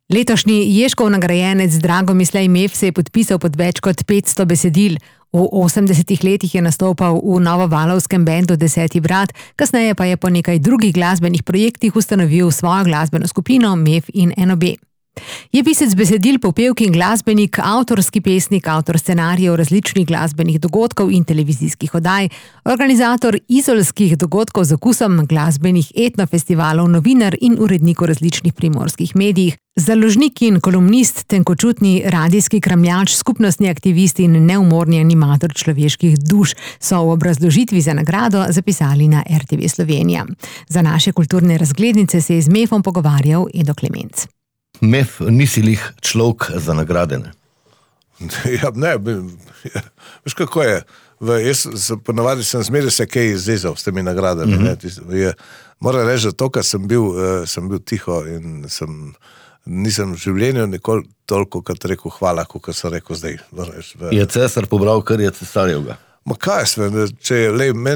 Letošnji Ježkov nagrajenec Dragomislej Mef se je podpisal pod več kot 500 besedil. V 80 letih je nastopal v novovalovskem bendu Deseti brat, kasneje pa je po nekaj drugih glasbenih projektih ustanovil svojo glasbeno skupino Mef in NOB. Je pisec besedil, popevki in glasbenik, avtorski pesnik, avtor scenarijev različnih glasbenih dogodkov in televizijskih oddaj, organizator izolskih dogodkov z okusom, glasbenih etnofestivalov, novinar in urednik v različnih primorskih medijih, založnik in kolumnist, tenkočutni radijski kramljač, skupnostni aktivist in neumorni animator človeških duš, so v obrazložitvi za nagrado zapisali na RTV Slovenija. Za naše kulturne razglednice se je z Mefom pogovarjal Edo Klemenc. Mef, nisi lih človek za nagrade, ne? Ja, ne, veš kako je, ponavadi sem zmeraj se kaj izrezal s temi nagradami, moram reči, da to, kar sem bil tiho in nisem v življenju nikoli toliko, kot rekel hvala, kot sem rekel zdaj. Je cesar pobral, kar je cesarjevga? Ma kaj sem,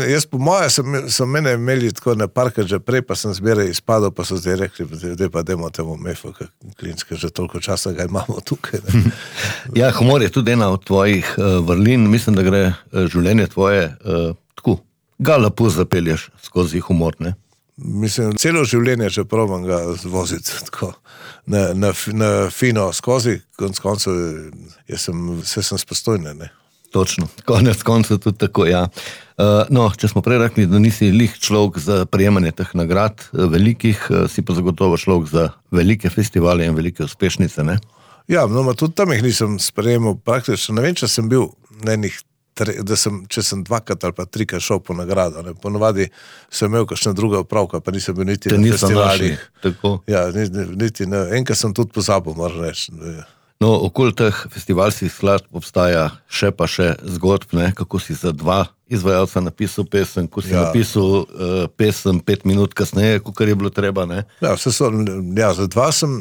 jaz po moje so mene imeli tako na parkrat že prej, pa sem zmeraj izpadal, pa so zdaj rekli, da pa dajmo temu Mefu, Klinske, že toliko časa ga imamo tukaj. Ja, humor je tudi ena od tvojih vrlin, mislim, da gre življenje tvoje tako, ga lepo zapelješ skozi humor, ne? Mislim, celo življenje, če probam ga zvoziti tako na fino skozi, konec koncev, vse sem spostojne, ne? Točno, konec konca tudi tako, ja. No, če smo prej rekli, da nisi lih človek za prejemanje teh nagrad velikih, si pa zagotovo človek za velike festivale in velike uspešnice, ne? Ja, no, tudi tam jih nisem sprejemal praktično. Ne vem, če sem bil na enih, če sem dvakrat ali pa trikrat šel po nagrado, ne? Ponovadi sem imel kakšna druga opravka, pa nisem bil niti na festivalih. Tako. Ja, niti ne, enkrat sem tudi pozabil, moram reči. No, okoli teh festivalskih skladb obstaja še zgodb, ne, kako si za dva izvajalca napisal pesem, ko si napisal pesem 5 minut kasneje, kakor je bilo treba, ne? Ja, za dva sem,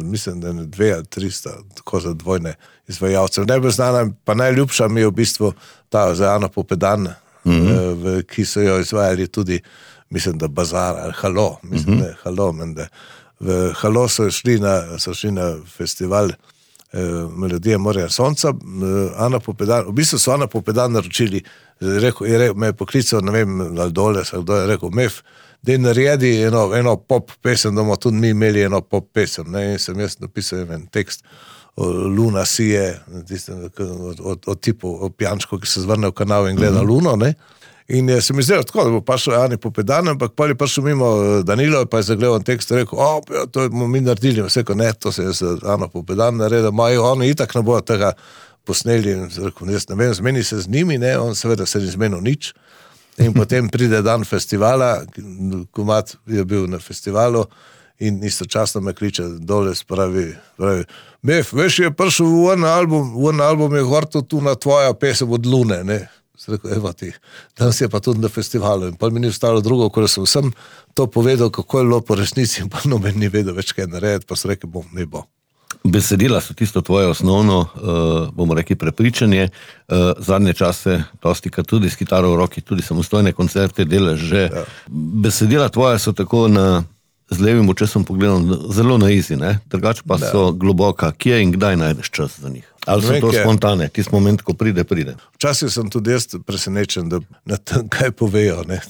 mislim, da ne 2 ali 300, tako za dvojne izvajalce. Najbolj znana, pa najljubša mi je v bistvu ta za Ano Popedan, ki so jo izvajali tudi, mislim, da Bazar ali Halo, mislim, da je Halo, menda. V Halo so šli na festival Melodije morja in sonca, Ana Popedan, v bistvu so Ana Popedan naročili, me je poklical, ne vem, ali dole, kdo je rekel, Mef, da naredi eno pop pesem, da bomo tudi mi imeli eno pop pesem, ne, in sem jaz napisal en tekst o Luna sije, o tipu, o pijančku, ki se zvrne v kanal in gleda Luno, ne. In se mi zdelo tako, da bo pašel Ani Popedan, ampak pa je prišel mimo Danilo, pa je zagledal tekst in rekel, to bomo mi naredili, vse ko ne, to se je za Ano Popedan naredil, oni itak ne bojo tega posneli, in rekel, jaz ne vem, zmeni se z njimi, ne, on seveda se ni zmenil nič, in potem pride dan festivala, komad je bil na festivalu, in istočasno me kliče dole, pravi, Mef, veš, je prišel v en album je vrtel tu na tvoja pesem od Lune, ne. Rekel, evo ti, danes je pa tudi na festivalu in pa mi ni ostalo drugo, ko sem vsem to povedal, kako je bilo po resnici in pa noben ni vedel več kaj narediti, pa so rekel, ne bo. Besedila so tisto tvoje osnovno, bomo rekli, prepričanje, zadnje čase, dostikrat tudi s kitaro v roki, tudi samostojne koncerte delaš že. Ja. Besedila tvoje so tako z levim očesom pogledom zelo na izi, ne? Drugače pa so globoka. Kje in kdaj najdeš čas za njih? Ali so to spontane, tisti moment, ko pride? Včasih sem tudi jaz presenečen, da na tem kaj povejo, ne?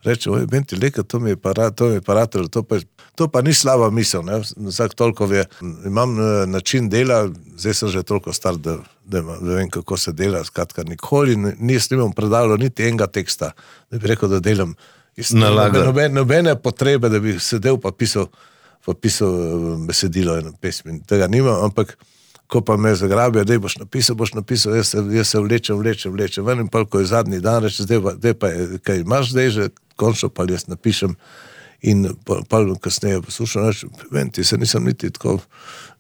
Reče, Benti, leka, to mi je parator, to pa ni slaba misel, ne? Vsak toliko ve. Imam način dela, zdaj sem že toliko star, da vem, kako se dela, skratka, nikoli nisem predalo niti enega teksta, da bi rekel, da delam nobene potrebe, da bi sedel pa pisal besedilo in pesmi. Tega nimam, ampak ko pa me zagrabijo, da boš napisal, jaz se vlečem, ven in pa, ko je zadnji dan, reče, zdaj pa kaj imaš zdaj že, končno pa jaz napišem in pa kasneje poslušam, reče, Venti, se nisem niti tako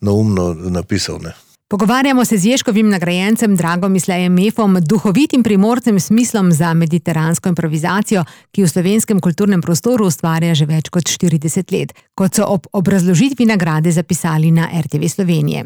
naumno napisal, ne. Pogovarjamo se z Ježkovim nagrajencem Dragomislejem Mefom, duhovitim Primorcem s smislom za mediteransko improvizacijo, ki v slovenskem kulturnem prostoru ustvarja že več kot 40 let. kot so ob obrazložitvi nagrade zapisali na RTV Slovenije.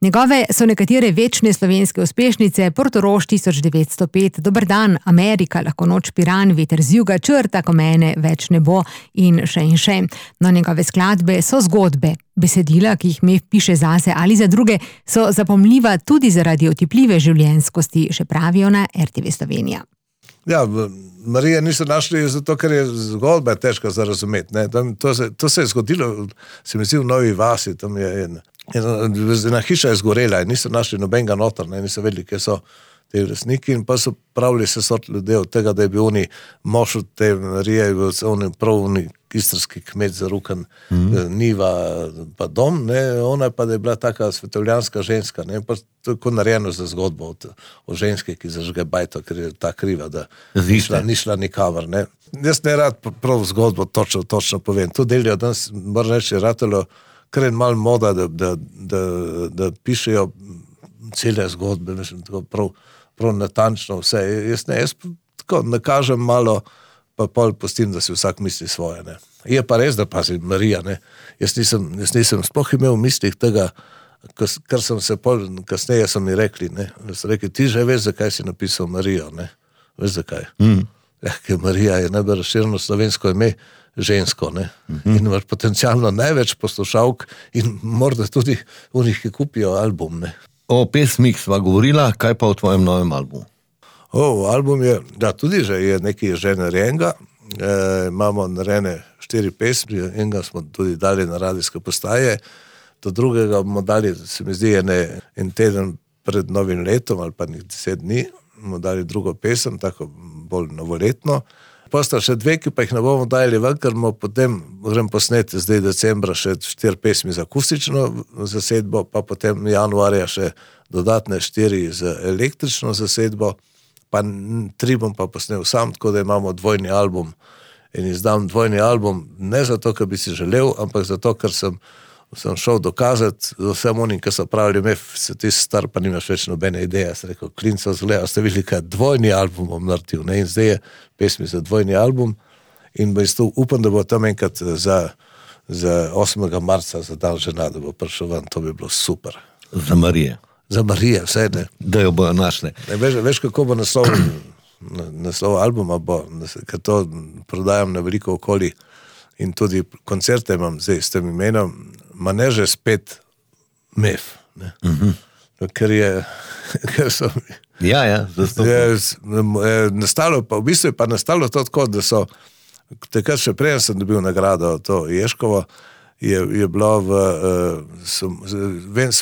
Njegove so nekatere večne slovenske uspešnice: Portorož 1905, Dober dan, Amerika, Lahko noč, Piran, Veter z juga, Črta, ko mene več ne bo in še in še. No, njegove skladbe so zgodbe. Besedila, ki jih Mef piše zase ali za druge, so zapomljiva tudi zaradi otipljive življenjskosti, še pravijo na RTV Slovenija. Ja, Marija niso našli zato, ker je zgodba težka za razumeti. To se je zgodilo, se mi zdi, v Novi vasi, tam je ena hiša je zgorela in niso našli nobenega noter, niso vedeli, kje so te lastniki, in pa so pravili se sort ljudi od tega, da je bil oni mož od te Marije, je prav istrski kmet zarukan, niva pa dom, ona pa da je bila taka svetovljanska ženska, pa tako narejeno za zgodbo o ženski, ki zažge bajto, ker je ta kriva, da ni šla nikamor. Jaz ne rad prav zgodbo točno povem. To delijo danes, moram reči, ratelo kar je malo moda, da pišejo cele zgodbe, mislim, tako prav natančno vse. Jaz tako nakažem malo, pa pol pustim, da si vsak misli svoje. Je pa res, da pazi Marija, jaz nisem sploh imel v mislih tega, kar sem se pol, kasneje so mi rekli, so rekli, ti že veš, zakaj si napisal Marijo, veš zakaj? Ker Marija je najbolj razširjeno slovensko ime, žensko, in imaš potencialno največ poslušalk in morda tudi v njih, ki kupijo album, O pesmih sva govorila, kaj pa o tvojem novem albumu? Album je, da tudi že je nekaj že narejenega, imamo narejene 4 pesmi, enega smo tudi dali na radijske postaje, do drugega bomo dali, se mi zdi, en teden pred novim letom ali pa 10 dni, bomo dali drugo pesem, tako bolj novoletno. Pa sta še 2, ki pa jih ne bomo dali ven, ker bomo potem grem posneti zdaj decembra še 4 pesmi za akustično zasedbo, pa potem januarja še dodatne 4 za električno zasedbo, pa 3 bom pa posnel sam, tako da imamo dvojni album in izdam dvojni album, ne zato, ker bi si želel, ampak zato, ker sem šel dokazati vsem onim, ki so pravili, Mef, se ti star, pa nimaš več nobene ideje. Sem rekel, klinco zgleda, ste videli, kaj dvojni album bom naredil, in zdaj je pesmi za dvojni album in upam, da bo tam enkrat za 8. marca, za dan žena, da bo prišel ven, to bi bilo super. Za Marije. Za Marije, vse ne. Da jo bojo našli. Veš, kako bo naslov albuma bo, ker to prodajam na veliko okoli in tudi koncerte imam zdaj s tem imenom, ma ne že spet Mef. Ker so... Ja, nastalo, pa v bistvu je pa nastalo to tako, da so, takrat še prej sem dobil nagrado, to Ježkovo, je bilo so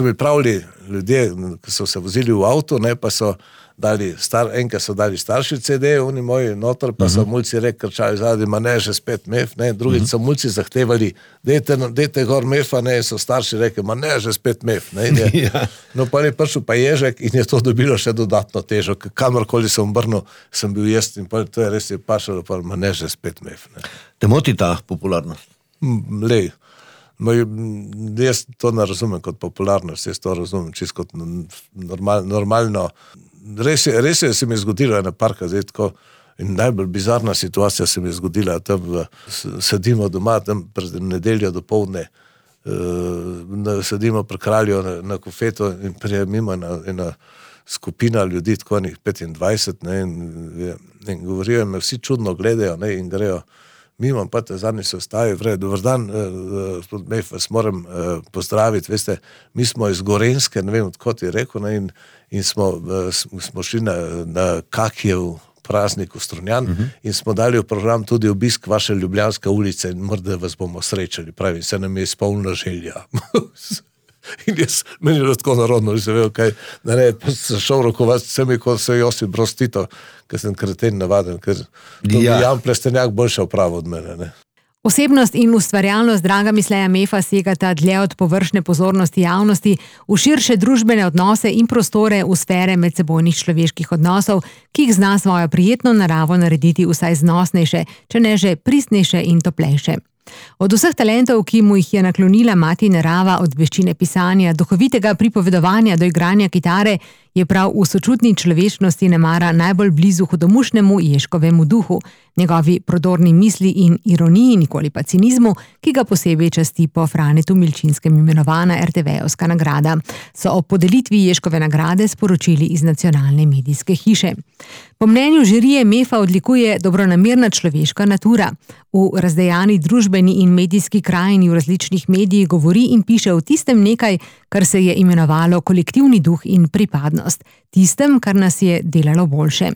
mi pravili ljudje, ki so se vozili v avto, pa so dali enkrat so dali starši CD, oni moji noter, pa so mulci krčali zadnji, ma ne, že spet Mef, drugič so mulci zahtevali, dejte gor Mefa, so starši rekli, ma ne, že spet Mef, No, pa je prišel pa Ježek in je to dobilo še dodatno težo, kamorkoli sem obrnil, sem bil jaz in pa to je res je pašalo, pa ma ne, že spet Mef. Te moti ta popularnost? Lej, jaz to ne razumem kot popularnost, jaz to razumem čisto kot normalno. Res je, se mi je zgodilo ena parka, zdaj tako, in najbolj bizarna situacija se mi je zgodila, tam sedimo doma, tam pred nedeljo dopoldne, sedimo pri Kralju na kofeto in prije mimo ena skupina ljudi, tako enih 25, in govorijo, me vsi čudno gledajo, in grejo mimo, pa te zadnji se ostavi, dober dan, gospod Mef, vas moram pozdraviti, veste, mi smo iz Gorenjske, ne vem, odkot je rekel, in smo šli na Kakijev praznik v Strunjan in smo dali v program tudi obisk vaše Ljubljanske ulice in morda vas bomo srečali, pravi, se nam je izpolnila želja. In meni je tako narodno, že se vejo, kaj narediti, pa sem šel rokovati vsemi, kot se Josip Broz Tito, ker sem kreten navaden, ker to bi Jan Plestenjak boljše opravil od mene, Osebnost in ustvarjalnost Dragomisleja Mefa segata dlje od površne pozornosti javnosti v širše družbene odnose in prostore v sfere medsebojnih človeških odnosov, ki jih zna svojo prijetno naravo narediti vsaj znosnejše, če ne že pristnejše in toplejše. Od vseh talentov, ki mu jih je naklonila mati narava, od veščine pisanja, duhovitega pripovedovanja do igranja kitare, je prav v sočutni človečnosti nemara najbolj blizu hudomušnemu Ježkovemu duhu, njegovi prodorni misli in ironiji, nikoli pa cinizmu, ki ga posebej časti po Franetu Milčinskem imenovana RTV-ovska nagrada, so ob podelitvi Ježkove nagrade sporočili iz nacionalne medijske hiše. Po mnenju žirije MEF-a odlikuje dobronamerna človeška natura. V razdejani družbeni in medijski krajini v različnih medijih govori in piše o tistem nekaj, kar se je imenovalo kolektivni duh in pripadnost, tistem, kar nas je delalo boljše.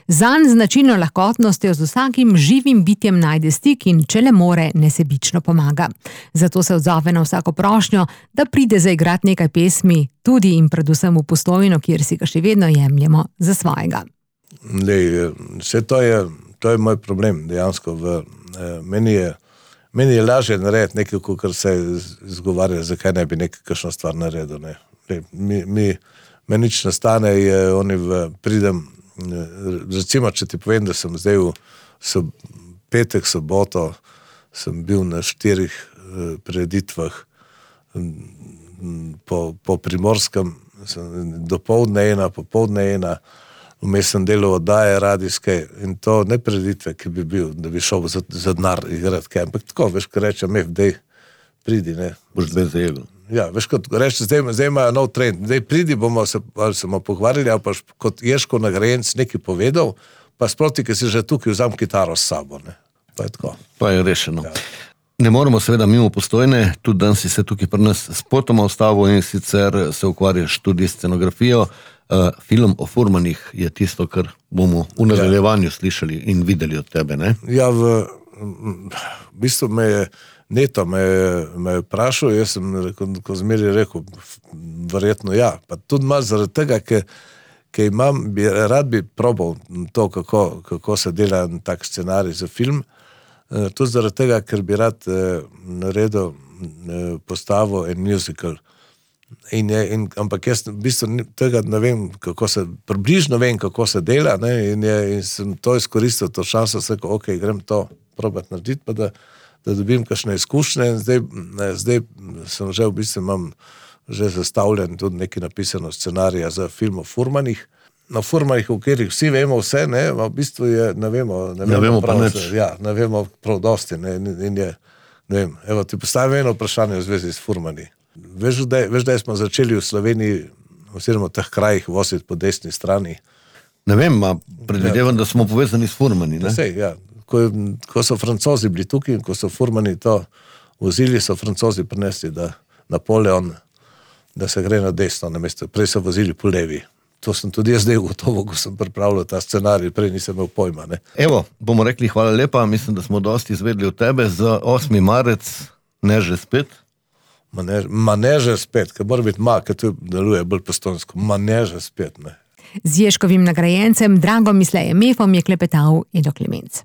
Zanj značilno lahkotnostjo z vsakim živim bitjem najde stik in če le more, nesebično pomaga. Zato se odzove na vsako prošnjo, da pride zaigrati nekaj pesmi, tudi in predvsem v Postojno, kjer si ga še vedno jemljemo za svojega. Vse to je moj problem dejansko. Meni je lažje narediti nekaj, kar se izgovarja, zakaj ne bi kakšno stvar naredil. Meni nič nastane, pridem, recimo, če ti povem, da sem zdaj v petek, soboto, sem bil na 4 prireditvah po Primorskem, dopoldne ena, popoldne ena, vmes sem delal oddaje radijske in to ne prireditve, ki bi bil, da bi šel za denar igrati, ampak tako, veš, ko rečem, dej, pridi, ne. Boš zdaj zajel. Ja, veš, kot reči, zdaj imajo nov trend, zdaj pridi, bomo se pogovarjali, ali pa kot Ježkov nagrajenec nekaj povedal, pa sproti, ki si že tukaj vzam kitaro s sabo, ne. Pa je tako. Pa je rešeno. Ja. Ne moremo seveda mimo Postojne, tudi danes si se tukaj pri nas spotoma ustavil in sicer se ukvarjaš tudi s scenografijo. Film o furmanih je tisto, kar bomo v nadaljevanju slišali in videli od tebe, ne? Ja, v bistvu Neto me je vprašal, jaz sem ko zmeri rekel, verjetno ja, pa tudi malo zaradi tega, ker rad bi probal to, kako se dela tak scenarij za film, tudi zaradi tega, ker bi rad naredil postavo en musical. Ampak jaz v bistvu tega ne vem, približno vem, kako se dela, ne, in sem to izkoristil, to šanso, sem rekel, ok, grem to probati narediti, pa da dobim kakšne izkušnje in zdaj sem že v bistvu imam že zastavljen tudi nekaj napisano scenarija za film o furmanih. Na furmanih, v katerih vsi vemo vse, ne, v bistvu je, ne vemo pa nič. Ja, ne vemo prav dosti, ne, in je, ne vem, evo, ti postavim eno vprašanje v zvezi s furmani. Veš, da smo začeli v Sloveniji, oziroma v teh krajih, voziti po desni strani. Ne vem, predvidevam, da smo povezani s furmani, ne? Sej, ja. Ko so Francozi bili tukaj in ko so furmani to vozili, so Francozi prinesli, da Napoleon, da se gre na desno namesto. Prej so vozili po levi. To sem tudi jaz zdaj gotovo, ko sem pripravljal ta scenarij, prej nisem imel pojma, ne. Evo, bomo rekli hvala lepa, mislim, da smo dosti izvedli od tebe za 8. marec, ne že spet. Ne že spet, ker mora biti ker to deluje bolj postojnsko. Ne že spet, ne. Z Ježkovim nagrajencem Dragomislejem MEF-om je klepetal Edo Klemenc.